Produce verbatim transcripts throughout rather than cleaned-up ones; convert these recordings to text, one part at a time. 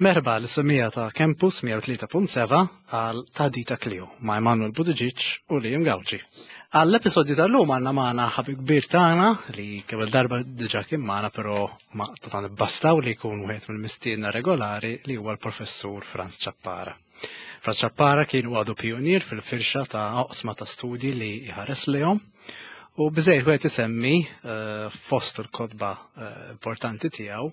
Merħba lis-semmiegħa ta' Campus mija u tlieta punt sebgħa għal Taħdita Klio ma' Emanuel Buttigieg u Liam Gauci. Għall-episodju tal-lum għandna magħna ħabib kbir tagħna li kemm darba diġà kien magħna, però ma ta' bastaw li jkun wieħed mill-mistiedna regolari, li huwa l-professur Franz Ciappara. Franz Ciappara kien għadu pionier fil-firxa ta' oqsma ta' studji li jħares lejhom. U biżżejjed wieħed isemmi eh, fost il-kotba eh, importanti tiegħu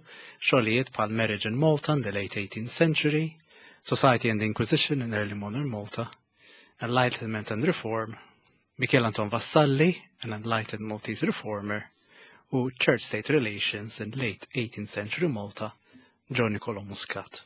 xogħlijiet bħal Marriage in Malta in the late eighteenth century, Society and the Inquisition in Early Modern Malta, Enlightenment and Reform, Michel Anton Vassalli, an Enlightened Maltese Reformer, u Church-State Relations in Late eighteenth Century Malta, John Niccolo Muscat.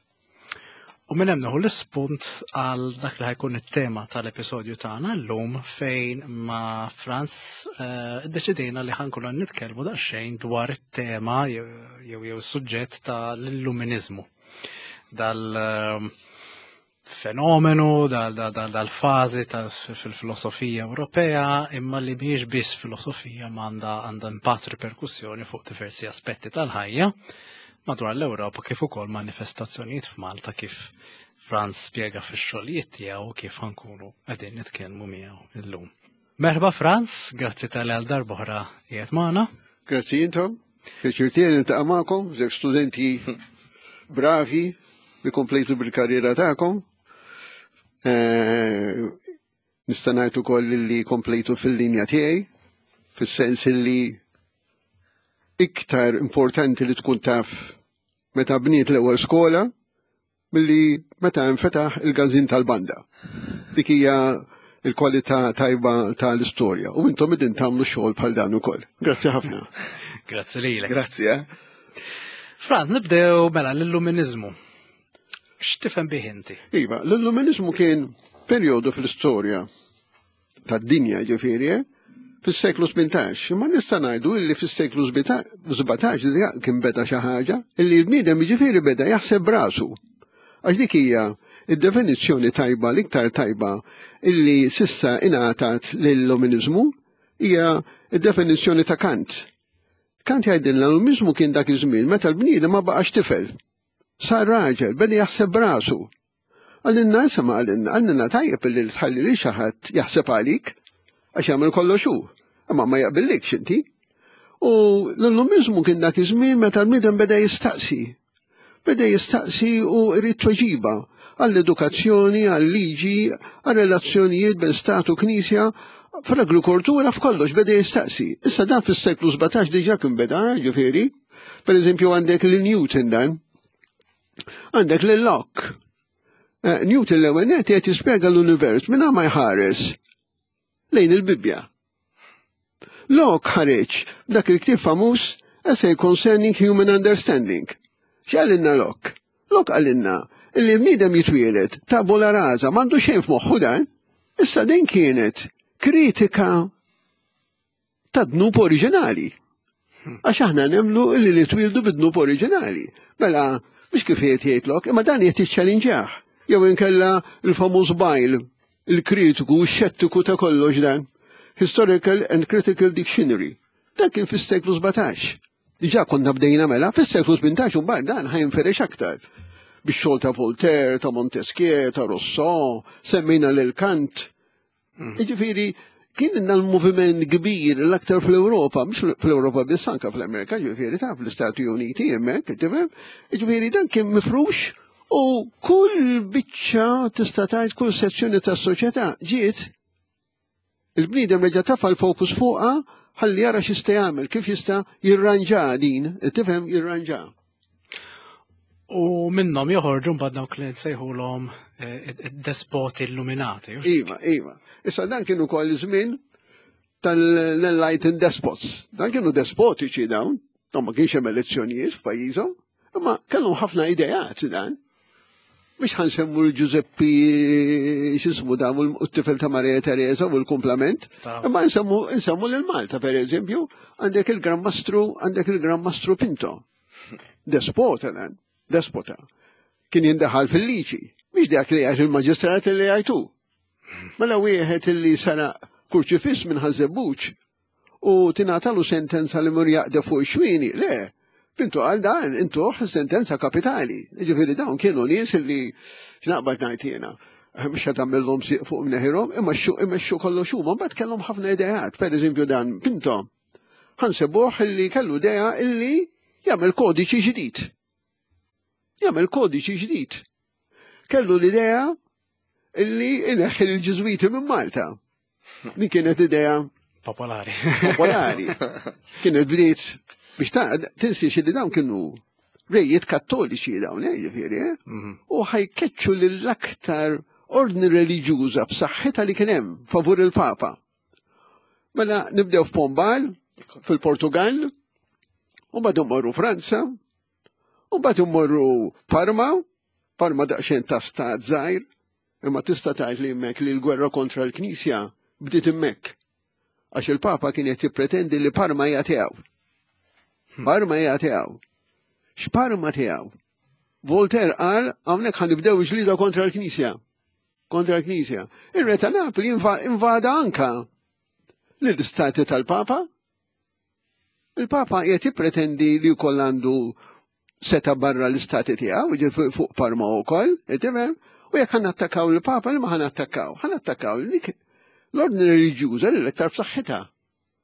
U minn hemm nieħu l-ispunt għal dak li ħa jkun it-tema tal-episodju tagħna llum, fejn ma' Franz eh, iddeċidejna li ħa nkunu nitkellmu daqsxejn dwar it-tema jew jew suġġett tal-illuminizmu. Dal eh, fenomenu, dal-fażi fil-filosofija Ewropea, imma li mhijiex biss filosofija, ma għandha għandha impatt, riperkussjoni fuq diversi aspetti tal-ħajja madwar l-Ewropa, kif ukoll manifestazzjonijiet f'Malta, kif Franz spjega fix-xogħlijiet tiegħu, kif ħa nkunu qegħdin nitkellmu miegħu illum. Merħba Franz, grazzi talli għal darb'oħra qiegħed magħna. Grazzi intom, pjaċir tiegħi niltaqa' magħkom, żewġ studenti bravi li komplejtu bil-karriera tagħkom. Eh, Nista' ngħid ukoll li komplejtu fil-linja tiegħi, fis-sens li iktar importanti li tkun taf meta bniet l-ewwel skola milli meta nfetaħ il-każin tal-banda. Dik hija il-kwalità tajba tal-istorja. U intom idin tagħmlu xogħol bħal dan ukoll. Grazzi ħafna. Grazzi lilek. Grazzi, eh? Franz, nibdew mela l-illuminizmu. X'tifhem bih inti? Iva, l-illuminizmu kien perjodu fl-istorja tad-dinja, ġifieri, eh? Fis-seklu tmintax. Ma nista' ngħidu illi fis-seklu sbatax diġà kien beda xi ħaġa illi l-bniedem, ġifieri, beda jaħseb brasu. Għax dik hija id-definizzjoni tajba, l-iktar tajba illi s'issa ingħatat lill-illuminizmu, hija id-definizzjoni ta' Kant. Kant jgħidilna l-illuminizmu kien dak iż-żmien meta l-bniedem ma baqax tifel. Sar raġel, beda jaħseb brasu. Qalilna, ma qalilna, qalilna tajjeb illi tħalli li xi ħadd jaħseb għalik, għax jagħmel kollox hu, imma ma jaqbillikx inti. U l-illuminizmu kien dak iż-żmien meta l-bniedem beda jistaqsi. Beda jistaqsi u jrid tweġiba għall-edukazzjoni, għall-liġi, għall-relazzjonijiet bejn stat u knisja, fl-agrikoltura, f'kollox beda jistaqsi. Issa dan fis-seklu sbatax diġà kien beda, ġifieri. Per eżempju, għandek lil Newton dan. Għandek lil Locke. Eh, Newton l-ewwel nett qed jispjega l-univers minn ma jħares lejn il-Bibbja. Locke ħareġ dak il-ktieb famuż, Essay Concerning Human Understanding. X'qalilna Locke? Locke qalilna illi bniedem jitwielet tabula rasa, m'għandu xejn f'moħħu dan. Issa din kienet kritika ta' dnub oriġinali. Għax aħna nemmnu illi li twildu bid-dnub oriġinali. Mela, mhux kif qed jgħid Locke, imma dan qed jiċċalinġjah. Jew inkella il-famuż Boyle, il-kritiku, xettiku ta' kollox dan. Historical and Critical Dictionary. Dan kien fis-seklu sbatax. Diġà konna bdejna mela, fis-seklu tmintax mbagħad dan ħa jinferex aktar. Bix-xogħol ta' Voltaire, ta' Montesquieu, ta' Rousseau, semmejna lil Kant. Jiġifieri, kien l-moviment kbir l-aktar fl-Europa, mhux fl-Europa biss, anka fl-Amerika, ġifieri ta' fl-Istati Uniti hemmhekk, tifhem? Ġifieri dan kien mifrux u kull biċċa, tista' tgħid kull sezzjoni tas-soċjetà ġiet il-bniedem reġa' tafa l-fokus fuqha ħalli jara x'jista' jagħmel, kif jista' jirranġa din, tifhem, jirranġa. U minnhom joħorġu mbagħad dawk li nsejħulhom eh, despoti illuminati. Iva, iva. Issa dan kienu ukoll żmien tal-Enlightened Despots. Dan kienu despotiċi dawn, dawn ma kienx hemm elezzjonijiet f'pajjiżhom, imma kellhom ħafna ideat dan. Biex ħa nsemmu l-Giuseppe, x'ismu dan, u t-tifel ta' Maria Teresa u l-kumplament. Imma nsemmu nsemmu lil Malta, per eżempju, għandek il-Gran Mastru, għandek il-Gran Mastru Pinto. Despota dan, despota. Kien jindaħal fil-liġi. Mhix dak li jgħid il-maġistrat li jgħidu. Mela wieħed illi sara kurċifiss minn Ħaż-Żebbuġ u tingħatalu sentenza li mur jaqdef fuq xwini, le, Pinto qal dan intuh sentenza kapitali. Ġifieri dawn kienu nies li x'naqbad ngħid jiena. Mhux qed tagħmilhom sieq fuq mneħirhom, imma xu imexxu kollox huma, mbagħad kellhom ħafna ideat. Pereżempju dan Pinto ħa nsibuh illi kellu idea illi jagħmel kodiċi ġdid. Jagħmel kodiċi ġdid. Kellu l-idea illi ineħħi l-Ġiżwiti minn Malta. Din kienet idea Popolari. popolari. Kienet bdiet biex ta' tinsiex li dawn kienu rejiet kattoliċi dawn, eh, ġifieri, eh? Mhm. U ħa jkeċċu lill-aktar ordni reliġjuża b'saħħitha li kien hemm favur il-Papa. Mela nibdew f'Pombal, fil-Portugal, u mbagħad immorru Franza, u mbagħad immorru Parma, Parma daqsxejn ta' stat żgħir, imma tista' tgħid li hemmhekk li l-gwerra kontra l-Knisja bdiet hemmhekk. Għax il-Papa kien qed jippretendi li Parma hija tiegħu. Parma hija tiegħu. X'Parma tiegħu? Voltaire qal hawnhekk ħa nibdew ġlida kontra l-Knisja. Kontra l-Knisja. Ir-re ta' Napoli inva- invada anka lill-istati tal-Papa. Il-Papa qiegħed jippretendi li wkoll għandu seta barra l-istati tiegħu, jiġifieri fuq Parma wkoll, tifhem? U jekk ħa nattakkaw il-Papa, li ma ħa nattakkaw? Ħa nattakkaw dik l-ordni reliġjuża li l-iktar b'saħħitha.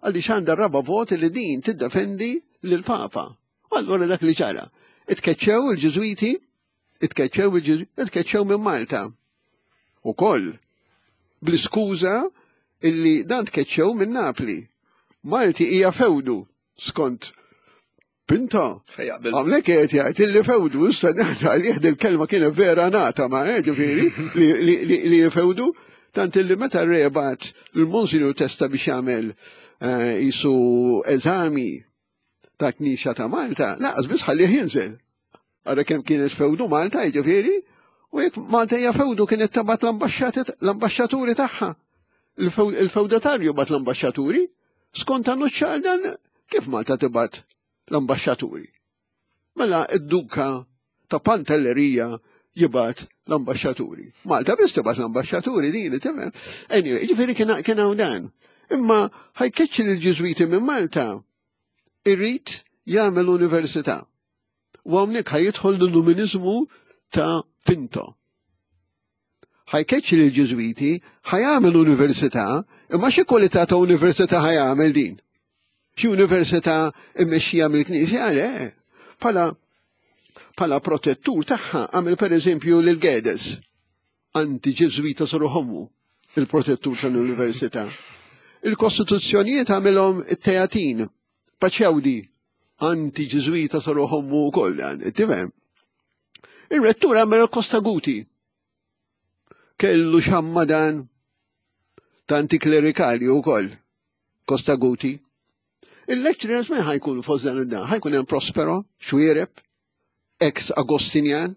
Għaliex għandha raba vot li din tiddefendi lill-Papa. U allura dak li ġara. Itkeċċew il-Ġiżwiti, itkeċċew il-Ġiżwiti, itkeċċew minn Malta. Ukoll, bl-iskuża illi dan tkeċċew minn Napli. Malti hija fewdu skont Pinto. Fejn jaqbel. Għamlek qed jgħid illi fewdu, issa ngħid għalih il-kelma kienet vera nata ma' eh, ġifieri li, li, li, li fewdu, tant illi meta re bagħat l-Monsinjur Testa biex jagħmel eh, jisu eżami ta' Knisja ta' Malta, laqas biss ħallih jinżel. Ara kemm kienet fewdu Malta, jiġifieri, u jekk Malta hija fewdu kienet tibgħat l-ambaxxaturi tagħha. Il-fewdatarju bagħat l-ambaxxaturi, skont annuċċar dan kif Malta tibgħat l-ambaxxaturi. Mela id-duka ta' Pantellerija jibgħat l-ambaxxaturi. Malta biss tibgħat l-ambaxxaturi din, tifhem? Anyway, jiġifieri kien hawn dan. Imma ħa jkeċċi l-Ġiżwiti minn Malta irrid jagħmel università. U hawnhekk ħa jidħol l-illuminizmu ta' Pinto. Ħa jkeċċi l-Ġiżwiti, ħa jagħmel università, imma xi kwalità ta' università ħa jagħmel din? Xi università immexxija mill-Knisja? Le, bħala bħala protettur tagħha għamel pereżempju lil Guedes, anti-Ġiżwita soruħommu, il-protettur tal-università. Il-kostituzzjonijiet għamilhom it-Teatin, Paciaudi, anti-Ġiżwita soruħommu wkoll, dan, tifhem? Il-rettur għamel Costaguti. Kellu xamma dan ta' antiklerikali wkoll, Costaguti. Il-lecturers ma ħa jkunu fost dan id-dan, ħa jkun hemm Prospero, Xuereb, ex Agostinjan,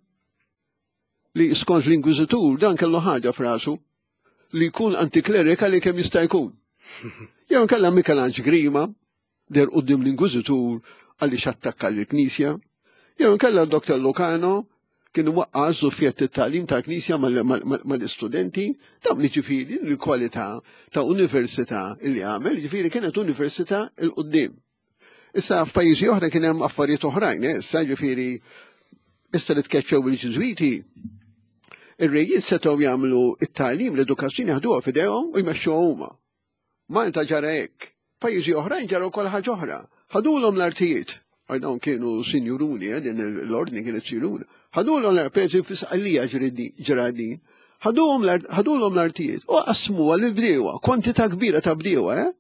li skont l-Inkwiżitur dan kellu ħaġa f'rasu li jkun antiklerikali kemm jista' jkun. Jew kellha Michelangelo Grima, deher quddiem l-Inkwiżitur għaliex attakka l-Knisja. Jew kellha Dottor Lucano, kien waqqa żufjett it-tagħlim tal-Knisja mal-istudenti, dawn li ġifieri l-kwalità ta' università li għamel, ġifieri kienet università 'l quddiem. Issa f'pajjiżi oħra kien hemm affarijiet oħrajn, eh, issa ġifieri issa li tkeċċew il-Ġiżwiti, ir-rejiet setgħu jagħmlu it-tagħlim, l-edukazzjoni ħaduha f'idejhom u jmexxuha huma. Malta ġara hekk, pajjiżi oħrajn ġara wkoll ħaġa oħra. Ħadulhom l-artijiet. Għaj dawn kienu sinjuruni, eh, din l-ordni kienet sinjuruna. Ħadulhom l-artijiet fi Sqallija ġara din. Ħadulhom l-artijiet u qasmuha lil bdiewa, kwantità kbira ta' bdiewa, eh?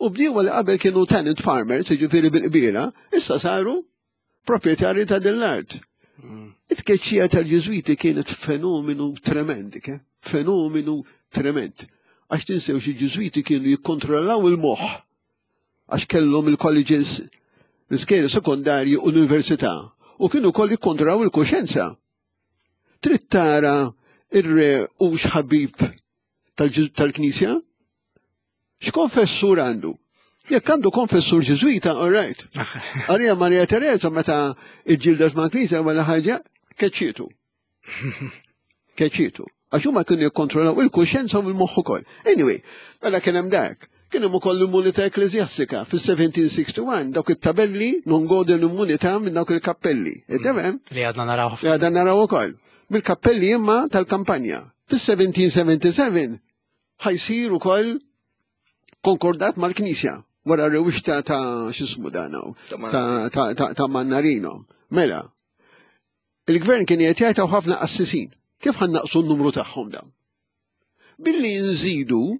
U bdiewa li qabel kienu tenant farmers, jiġifieri bil-qbiela, issa saru proprjetarji ta' din l-art. It-tkeċċija tal-Ġiżwiti kienet fenomenu tremend, ke? Fenomenu tremend. Għax tinsew xi Ġiżwiti kienu jikkontrollaw il-moħħ għax kellhom il-colleges, l-iskejjel sekondarji u l-università u kienu wkoll jikkontrollaw il-kuxjenza. Trid tara ir-re hux ħabib tal-Knisja? X'konfessur għandu? Jekk għandu konfessur Ġiżwita, all right. Arja Maria Teresa meta iġġildet ma' Knisja wara ħaġa, keċċietu. Keċċietu. Għax huma kienu jikkontrollaw il-kuxjenza u l-moħħ ukoll. Anyway, mela kien hemm dak. Kien hemm ukoll l-immunità ekkleżjastika fis-seventeen sixty-one, dawk it-tabelli "non gode l-immunità" minn dawk il-kappelli. Mm. Li għadna naraw. Li għadna naraw ukoll. Mill-kappelli imma tal-kampanja. Fis-seventeen seventy-seven ħa jsir ukoll konkordat mal-Knisja wara rewixta ta' x'ismu danaw, ta' Mannarino. Mela, il-gvern kien qed jgħid ħafna qassisin. Kif ħa nnaqqsu n-numru tagħhom dan? Billi nżidu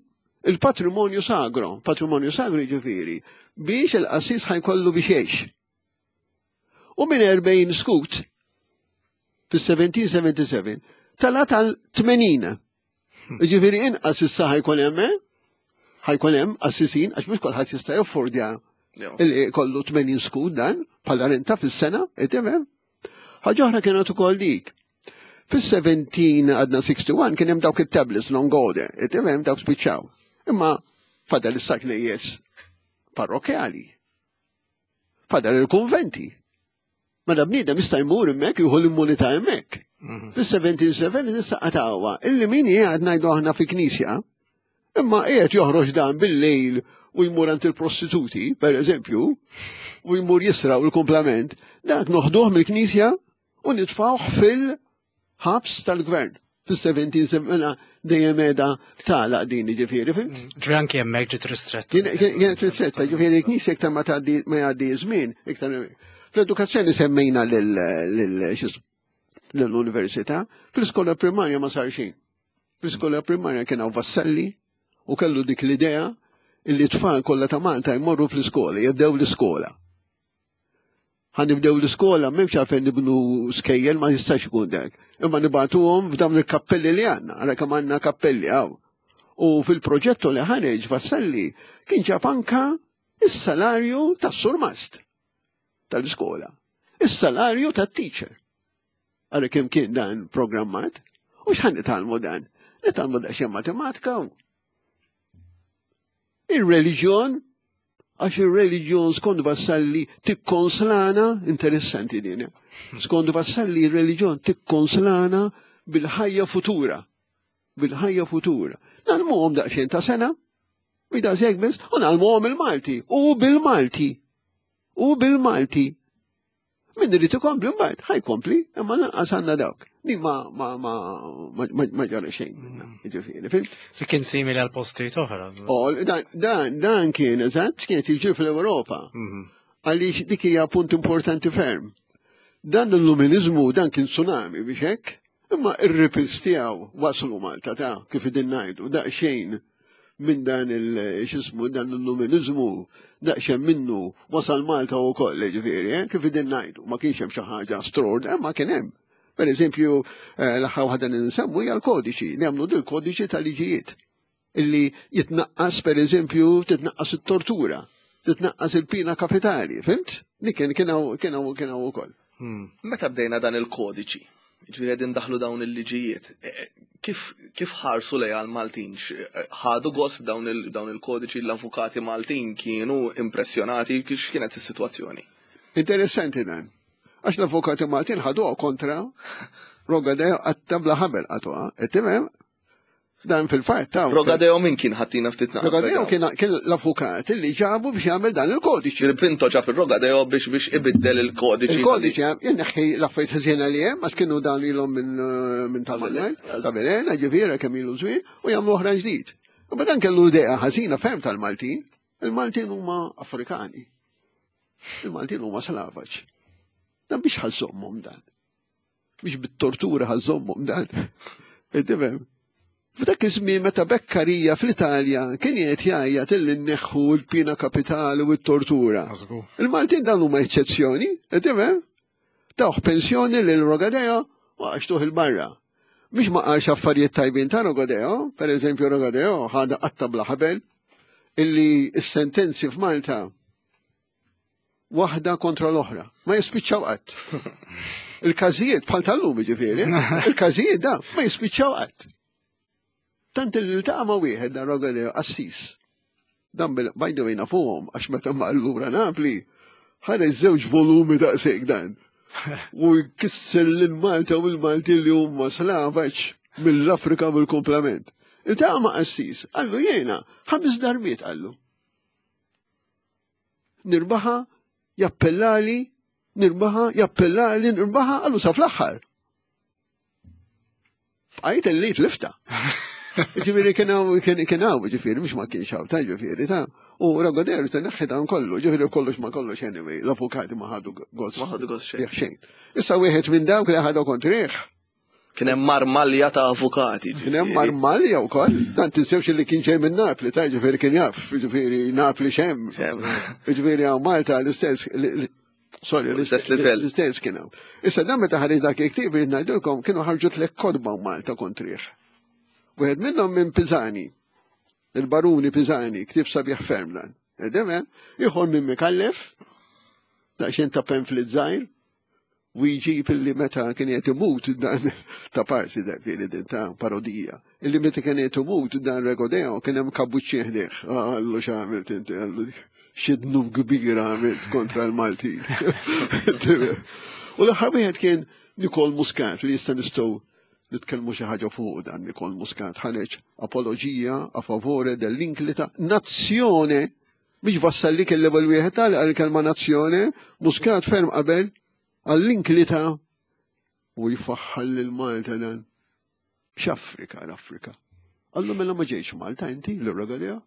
il-patrimonju sagro, patrimonju sagro ġifieri, biex il-qassis ħa jkollu biex jgħix. U minn erbgħin skut fis-seventeen seventy-seven tela' tal-tmenin. Ġifieri inqas issa ħa jkun hemm, eh? Ħa jkun hemm qassisin għax mhux kulħadd jista' jaffordja illi kollu tmenin skud dan bħala renta fis-sena, tifhem? Ħaġa oħra kienet ukoll dik. Fis-seventeen sixty-one kien hemm dawk it-tablets "non gode", tifhem, dawk spiċċaw. Imma fadal issa knejjes parrokjali. Fadal il-konventi. Mela bniedem jista' jmur hemmhekk jieħu l-immunità hemmhekk. Mhm. Fis-seventeen seventy issa qatawha illi min qiegħed, ngħidu aħna, fi knisja, imma qiegħed joħroġ dan bil-lejl u jmur għand il-prostituti, per eżempju, u jmur jisra u l-komplament, dak noħduh mill-knisja u nitfawh fil-ħabs tal-gvern. Fis-seventeen dejjem qiegħda tagħlaq din, ġifieri, fhimt? Mm, ġifieri anke hemmhekk ġiet ristretta. Kienet ristretta, ġifieri l-knisja iktar ma tgħaddi ma jgħaddi żmien, iktar. Fl-edukazzjoni semmejna l-università, fl-iskola primarja ma sar xejn. Fl-iskola primarja kien hawn Vassalli u kellu dik l-idea illi tfal kollha ta' Malta jmorru fl-iskola, jibdew l-iskola. Ħa nibdew l-iskola, m'hemmx għalfejn nibnu skejjel, ma jistax ikun dak. Imma nibagħtuhom f'dawn il-kappelli li għandna, għara kemm għandna kappelli hawn. U fil-proġetto li ħareġ Vassalli kien ġab anka is-salarju tas-surmast tal-iskola, is-salarju tat-teacher. Għara kemm kien dan programmat. U x'ħa nitgħallmu dan? Nitgħallmu daqsxejn matematika. Ir-reliġjon, għax ir-reliġjon skont Vassalli tikkonslana, interessanti din, skont Vassalli ir-reliġjon tikkonslana bil-ħajja futura. Bil-ħajja futura. Ngħallmuhom daqsxejn ta' sena, u daqshekk biss, u ngħallmuhom il-Malti, u bil-Malti. U bil-Malti. Min irid ikompli mbagħad, ħa jkompli, imma lanqas għandna dawk. Din ma ma ma ma ma ġara xejn minna, ġifieri, fhimt? Li kien simili għal postijiet oħra. Oh, dan, dan, dan kien eżatt kien jiġri fl-Ewropa. Mhm. Għaliex dik hija punt importanti ferm. Dan l-illuminizmu dan kien tsunami biex hekk, imma ir-ripples tiegħu waslu Malta ta' kif idin ngħidu, daqsxejn minn dan il x'ismu dan l-illuminizmu daqsxejn minnu wasal Malta wkoll, ġifieri, eh, kif idin ngħidu, ma kienx hemm xi ħaġa straordinarja, ma kien hemm. Per eżempju, eh, l-aħħar waħda li nsemmu hija l-kodiċi, nagħmlu dil kodiċi tal-liġijiet illi jitnaqqas, per eżempju, titnaqqas it-tortura, titnaqqas il-pina kapitali, fhimt? Dik kien kien hawn kien hawn kien hawn ukoll. Hmm. Meta bdejna dan il-kodiċi, ġifieri qegħdin daħlu dawn il-liġijiet, e, e, kif kif ħarsu lejha l-Maltin? X- Ħadu gost b'dawn il- dawn il-kodiċi, l-avukati Maltin kienu impressjonati, kif kienet is-sitwazzjoni? Interessanti dan. Għax l-avukati Maltin ħaduha kontra Rogadeo, għatta bla ħabel qatuha. Tifhem? Dan fil-fatt ta' Rogadeo min kien? Ħattina ftit naqra? Rogadeo kien kien l-avukat li ġabu biex jagħmel dan il-kodiċi. Il-Pinto ġab il-Rogadeo biex biex ibiddel il-kodiċi. Il-kodiċi jenneħħi l-affarijiet ħżiena li hemm, għax kienu dan ilhom minn minn tal-Manuel, ta' Belena, ġifieri kemm ilu żmien, u jagħmlu oħra ġdid. U dan kellu idea ħażina ferm tal-Maltin. Il-Maltin huma Afrikani. Il-Maltin huma slavaġ. Dan biex ħa żżommhom dan. Biex bit-tortura ħa żżommhom dan. Tifhem? F'dak iż-żmien meta Beccaria fl-Italja kien qed jgħajjat illi nneħħu l-pina kapitali u t-tortura. Żgur. Il-Maltin dan huma eċċezzjoni, tifhem? Tawh pensjoni lil Rogadeo u għaxtuh il-barra. Biex ma qalx affarijiet tajbin ta' Rogadeo, per eżempju Rogadeo ħada qatta bla ħabel illi s-sentenzi f'Malta waħda kontra l-oħra. Ma jispiċċaw qatt. Il-każijiet bħal tal-lum ġifieri, il-każijiet da ma jispiċċaw qatt. Tant li ltaqa' ma' wieħed dan Rogadeo qassis. Dan bil by the way nafuhom għax meta ma allura Napli ħareġ żewġ volumi daqshekk dan. U jkisser lil Malta u l-Malti li huma slavaġ mill-Afrika bil-komplement. Iltaqa' ma' qassis, qallu jiena, ħames darbiet qallu. Nirbaħa, jappellali, nirbaħa, jappellali, nirbaħa, għallu sa fl-aħħar. Bqajt li tlifta. Ġifieri kien hawn kien hawn, ġifieri mhux ma kienx hawn, ta' ġifieri ta' U Ragoder se neħħi dan kollu, ġifieri kollox ma kollox anyway, l-avukati ma ħadu gost. Ma ħadu gost xejn. Xejn. Issa wieħed minn dawk li ħadu kontrih. Kien hemm marmalja ta' avukati. Kien hemm marmalja wkoll. Dan tinsewx li kien ġej minn Napli, ta' ġifieri kien jaf, ġifieri Napli xemm. Ġifieri hawn Malta l-istess Sorry, l-istess livell. L-istess kien hawn. Issa dan meta ħareġ dak il-ktieb irid ngħidulkom kienu ħarġu tliet kotba Malta kontrih. Wieħed minnhom minn Pisani, il-Baruni Pisani, ktieb sabiħ ferm dan. Edem, ieħor minn Mikallef, daqsxejn ta' pamphlet żgħir, u jġib illi meta kien qed imut dan ta' parsi dak li din ta' parodija. Illi meta kien qed imut dan Regodeo kien hemm kabuċċi ħdejh. Għallu x'għamilt inti, għallu xi dnub kbir għamilt kontra l-Maltin. U l-aħħar wieħed kien Nikol Muscat li issa nistgħu nitkellmu xi ħaġa fuq dan Nikol Muscat ħareġ apoloġija a favore dell'inclita nazzjone mhix Vassalli kien l-ewwel wieħed tal għal-kelma nazzjone, Muscat ferm qabel għall-inklita u jfaħħal lil Malta dan. X'Afrika l-Afrika. Għallu mela ma ġejx Malta inti l-Regadea.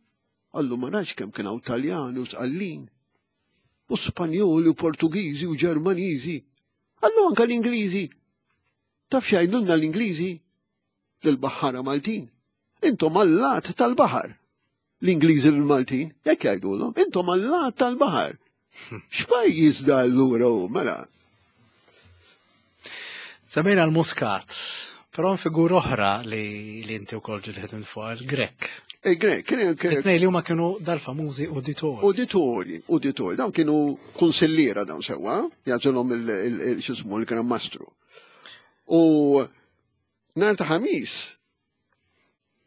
Għallu ma nafx kemm kien hawn Taljani u Sqallin u Spanjoli u Portugiżi u Ġermaniżi. Għallu anka l-Ingliżi. Taf x'jgħidulna l-Ingliżi? Lill-baħħara Maltin. Intom allat tal-baħar. L-Ingliżi l-Maltin, jekk jgħidulhom, intom allat tal-baħar. X'pajjiż da allura hu mela? Semmejna l-Muscat, però figur oħra li li inti wkoll ġilħet minn fuq il-Grek. Il-Grek, kien It-tnejn li huma kienu dal-famużi uditori. Uditori, uditori, dawn kienu kunsilliera dawn sewwa, jagħżilhom il-x'ismu l-Gran Mastru. U nhar ta' Ħamis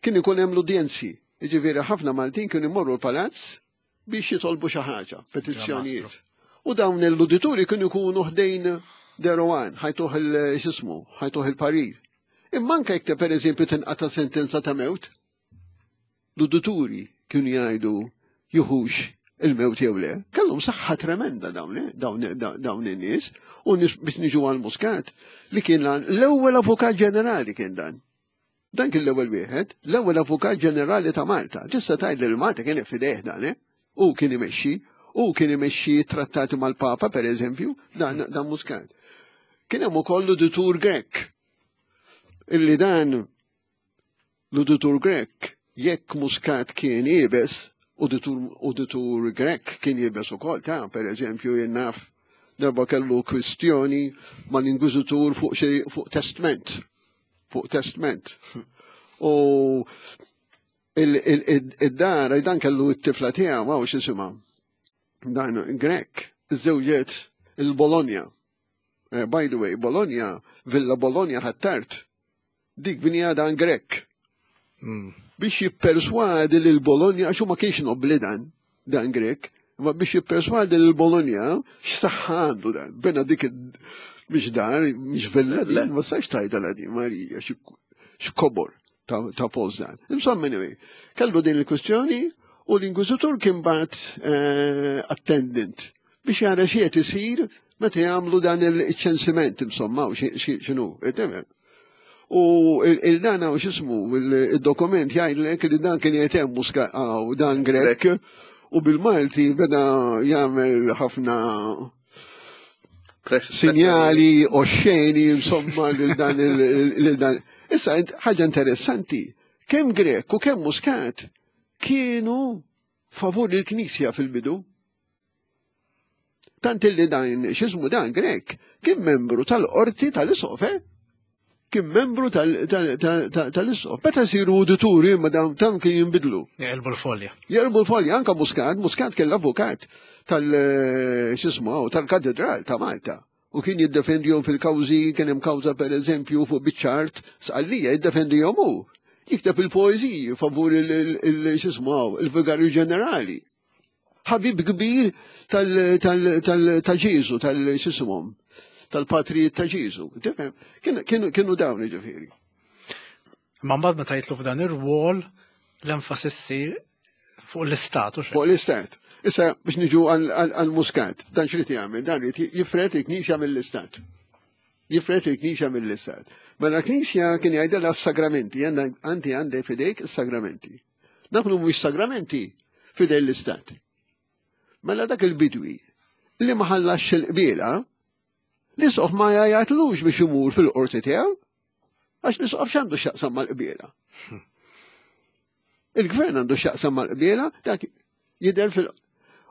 kien ikun hemm l-udjenzi, jiġifieri ħafna Maltin kienu jmorru l-palazz biex jitolbu xi ħaġa, petizzjonijiet. U dawn l-udituri kienu jkunu ħdejn Derowan, ħajtuh il-xismu, ħajtuh il-parir. Imma anke jekk per eżempju tinqata' sentenza ta' mewt, l-udituri kienu jgħidu juhux il-mewt jew le. Kellhom saħħa tremenda dawn dawn in-nies u biex niġu għal Muscat li kien l-ewwel avukat ġenerali kien dan. Dan kien l-ewwel wieħed, l-ewwel avukat ġenerali ta' Malta. Tista' tgħid li Malta kien fidejh dan, eh? U kien imexxi, u kien imexxi trattati mal-Papa per eżempju, dan dan Muscat. Kien hemm ukoll l-uditur Grek. Illi dan l-uditur Grek, jekk Muscat kien iebes, uditur Grek kien iebes ukoll ta' per eżempju jien naf darba kellu kwistjoni mal-inkwiżitur fuq xi fuq testment. Fuq testment. U id-dar, dan kellu t-tifla tiegħu, għaw x'isimha. Dan Grek, iżżewġet il-Bologna. By the way, Bologna, Villa Bologna ħattart, dik binja dan Grek. Biex jipperswadi lil Bologna, għax ma kienx nobli dan, dan Grek, ma biex jipperswadi lil Bologna, x'saħħa għandu dan, bena dik biex dar, mhix villa din, ma sax tajda la din, Marija, x'kobor ta' post dan. Insomma, anyway, kellu din il-kwestjoni u l-inkwiżitur kien bagħat attendant biex jara xi qed isir meta jagħmlu dan il-ċensiment, insomma, u x'inhu, U il-dan u x'ismu, il-dokument jgħidlek li dan kien jgħid Muscat dan Grek u bil-Malti beda jagħmel ħafna sinjali oxxeni, insomma, lil dan lil dan. Issa ħaġa interessanti, kemm Grek u kemm Muscat kienu favur il-Knisja fil-bidu. Tant illi dan, x'ismu dan Grek, kien membru tal-qorti tal-Isqof, eh? Kien membru tal-Isqof. Meta siru udituri ma dawn tam kien jinbidlu. Jaqilbu l-folja. Jaqilbu l-folja, anka Muscat, Muscat kien l-avukat tal x'ismu tal-Katedral ta' Malta. U kien jiddefendihom fil-kawżi, kien hemm kawża per eżempju fuq biċ-ċart Sqallija jiddefendihom hu. Jikteb il-poeżiji favur il-x'ismu il-Vigarju Ġenerali. Ħabib kbir ta' Ġesu, tal-x'ismuhom, tal-patrijiet ta' Ġesu. Kienu dawn ġifieri. Ma mbagħad meta jitlu f'dan ir-rwol l-enfasi ssir fuq l-istat. Fuq l-istat. Issa biex niġu għal-Muscat, dan xrid jagħmel, dan irid jifred il-Knisja mill-Istat. Jifred il-Knisja mill-Istat. Mela l-Knisja kien jgħidilha s-sagramenti, anti għandek fidejk is-sagramenti. Dak mhumiex sagramenti fidej l-Istat. Mela dak il-bidwi li ma ħallax il-qbiela, l-isqof ma jgħajjatlux biex imur fil-qorti tiegħu, għax l-isqof x'għandu x'jaqsam mal-qbiela. Il-gvern għandu x'jaqsam mal-qbiela, dak jidher fil-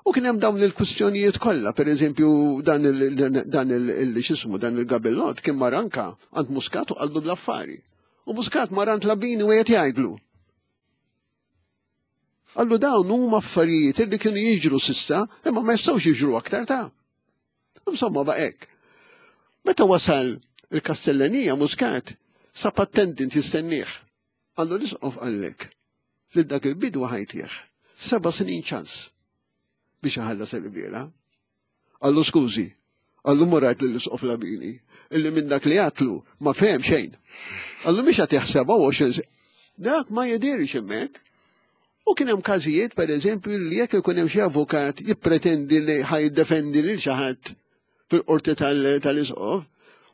U kien hemm dawn il-kwistjonijiet kollha, pereżempju dan il dan il x'ismu dan il-Gabellot kien mar anka għand Muscat u qallu l-affari. U Muscat mar għand Labini u qed jgħidlu. Qallu dawn huma affarijiet li kienu jiġru s'issa, imma ma jistgħux jiġru aktar ta'. Insomma ba' hekk. Meta wasal il-Kastellanija Muscat sab attendant jistennieh. Qallu l-isqof qallek li dak il-bidwi ħa jtih. Seba' snin ċans biex iħallas il-qbiela. Qallu skużi, qallu mur għid l-isqof Labini, illi minn dak li għedtlu ma fehem xejn. Qallu mhix qed jaħsebha għoxrin Dak ma jidirx hemmhekk. U kien hemm każijiet, per eżempju, li jekk ikun hemm xi avukat jippretendi li ħa jiddefendi lil xi ħadd fil-qorti tal-isqof,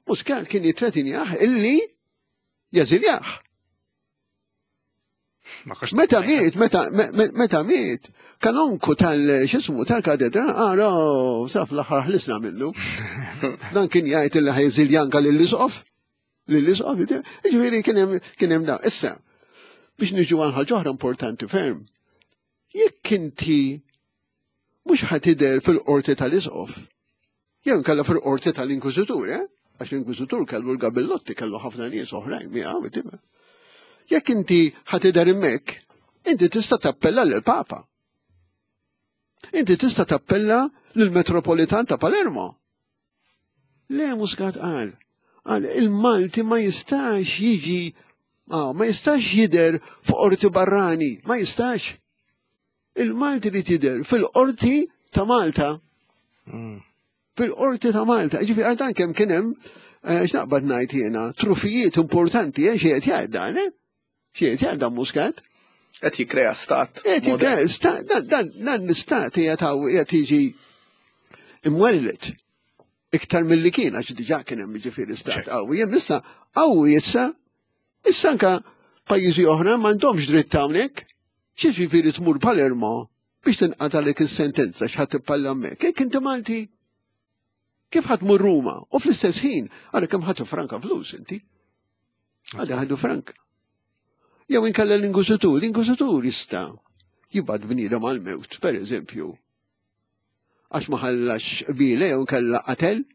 Muscat kien jitretinjah illi jeżiljah. Meta miet, meta meta miet, kanonku tal x'ismu tal-katedra, għara, saf l-aħħar ħlisna minnu. Dan kien jgħid illi ħa jeżilja anka lill-isqof. Lill-isqof, ġifieri kien hemm kien hemm da. Issa, biex niġu għal ħaġa oħra importanti ferm. Jekk inti mhux ħa tidher fil-qorti tal-isqof, jew kalla fil-qorti tal-inkwiżitur, eh? Għax l-inkwiżitur kellu l-Gabellotti, kellu ħafna nies oħrajn miegħu, Jekk inti ħa tidher hemmhekk, inti tista' tappella lill-Papa. Inti tista' tappella lill-Metropolitan ta' Palermo. Le Muscat qal, qal il-Malti ma jistax jiġi, ah, ma jistax jidher fuq qorti barrani, ma jistax. Il-Malti li tidher fil-qorti ta' Malta. Mm. Fil-qorti ta' Malta. Ġifieri għal kemm kien hemm eh, x'naqbad ngħid jiena, trufijiet importanti, eh, xi qed jgħid dan, eh? Xi qed jgħid dan Muscat? Qed jikkrea stat. Qed jikkrea stat, dan l-istat qiegħed jiġi imwellet iktar mill-li kien, għax diġà kien hemm ġifieri stat qawwi. Hemm issa qawwi issa, issa anka pajjiżi oħra m'għandhomx dritt hawnhekk. Xi ġifieri tmur Palermo biex tinqatalek is-sentenza x'ħadd tippalla hemmhekk. Jekk inti Malti, kif ħa tmur Ruma? U fl-istess ħin, għara kemm ħadu franka flus inti. Għada ħadu franka. Jew inkella l-inkwiżitur, l-inkwiżitur jista' jibgħat bniedem għal-mewt, per eżempju. Għax ma ħallax qbiela jew inkella qatel,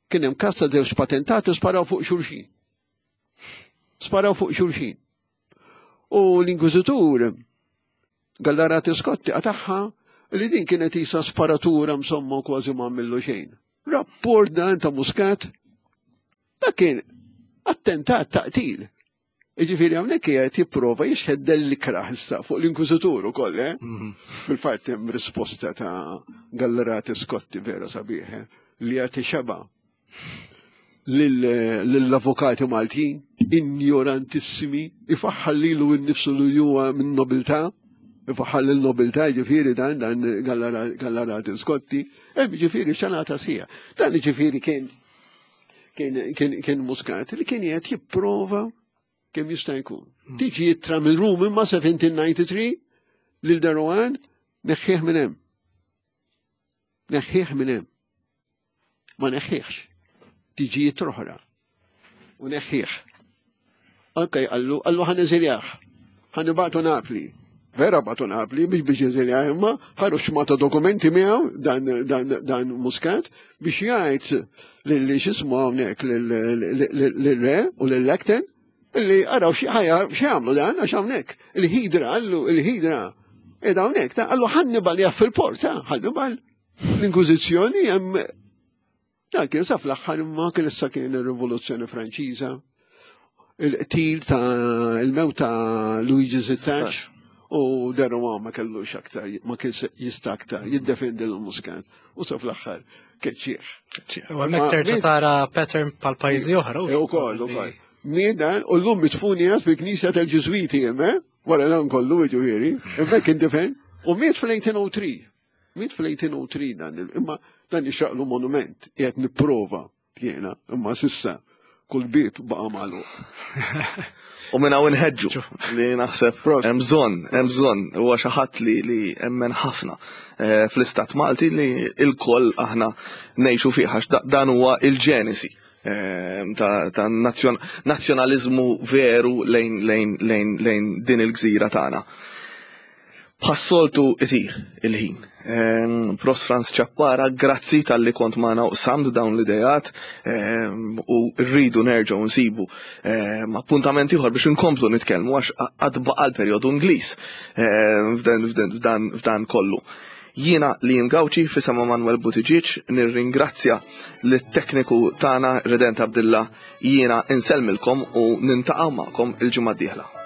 kien hemm każ ta' żewġ patentati sparaw fuq xulxin. Sparaw fuq xulxin. U l-inkwiżitur Gallarati Scotti qatagħha li din kienet isa sparatura insomma kważi ma għamillu xejn. Rapport dan ta' Muscat, dak kien attentat ta' qtil. Iġifieri hawnhekk qiegħed jipprova jixħet dell-ikrah issa fuq l-inkwiżitur ukoll, eh? Mhm. Fil-fatt hemm risposta ta' Gallarati Scotti vera sabiħ, eh? Li jagħti xeba lill-avukati Maltin, ignorantissimi, ifaħħal lilu nnifsu li huwa minn nobiltà, ifaħħal l-nobiltà ġifieri dan dan Gallarati Scotti, hemm ġifieri xanata sija. Dan ġifieri kien kien kien Muscat li kien qed jipprova kemm jista' jkun. Hmm. Tiġi ittra minn Rum imma seventeen ninety-three lil de Rohan, neħħieh minn hemm. Neħħieh minn hemm. Ma neħħieħx. Tiġi ittra oħra. U neħħieh. Anke qallu, qallu ħa neżiljah. Ħa nibagħtu Napli. Vera bagħtu Napli biex biex jeżiljah imma ħaru xmata dokumenti miegħu dan dan dan Muscat biex jgħid lil x'ismu hawnhekk lil-re u lil-Acton illi araw xi ħajja xi jagħmlu dan għax hawnhekk il-ħidra qallu il-ħidra qiegħda hawnhekk ta' qallu Hannibal jaf fil-port ta' Hannibal l-Inkwiżizzjoni hemm. Dan kien sa fl-aħħar imma kien issa kien ir-Rivoluzzjoni Franċiża, il-qtil ta' il-mewt ta' Luigi Sittax u de Rohan ma kellux aktar, ma kien jista' aktar jiddefendi l-Muscat u sa fl-aħħar keċċieħ. U hemmhekk terġa' tara pattern pal pajjiżi oħra. U koll, u koll. Miet u l-lum midfun fil-knisja tal-Ġiżwiti hemm, eh? Wara dan kollu ġifieri, hemmhekk indifen, u miet fl-eighteen oh three. Miet fl-eighteen oh three dan, imma dan jixraqlu monument, qiegħed nipprova jiena, imma s'issa kull bib baqa' magħluq. U minn hawn inħeġġu li naħseb hemm bżonn, hemm bżonn, huwa xi ħadd li li emmen ħafna eh, fl-istat Malti li l-koll aħna ngħixu fih, għax dan huwa il-ġenesi eh, ta' nazzjonaliżmu veru lejn lejn lejn lejn din il-gżira tagħna. Bħas-soltu itir il-ħin. Prof Frans Ciappara, grazzi talli kont magħna u qsamt dawn l-idejat u rridu nerġgħu nsibu appuntament ieħor biex inkomplu nitkellmu, għax għad baqa' l-perjodu Ingliż f'dan kollu. Jiena Liam Gauci, f'isem Manuel Buttigieg, nirringrazzja lit-tekniku tagħna Redent Abdilla, jiena insellmilkom u niltaqgħu magħkom il-ġimgħa d-dieħla.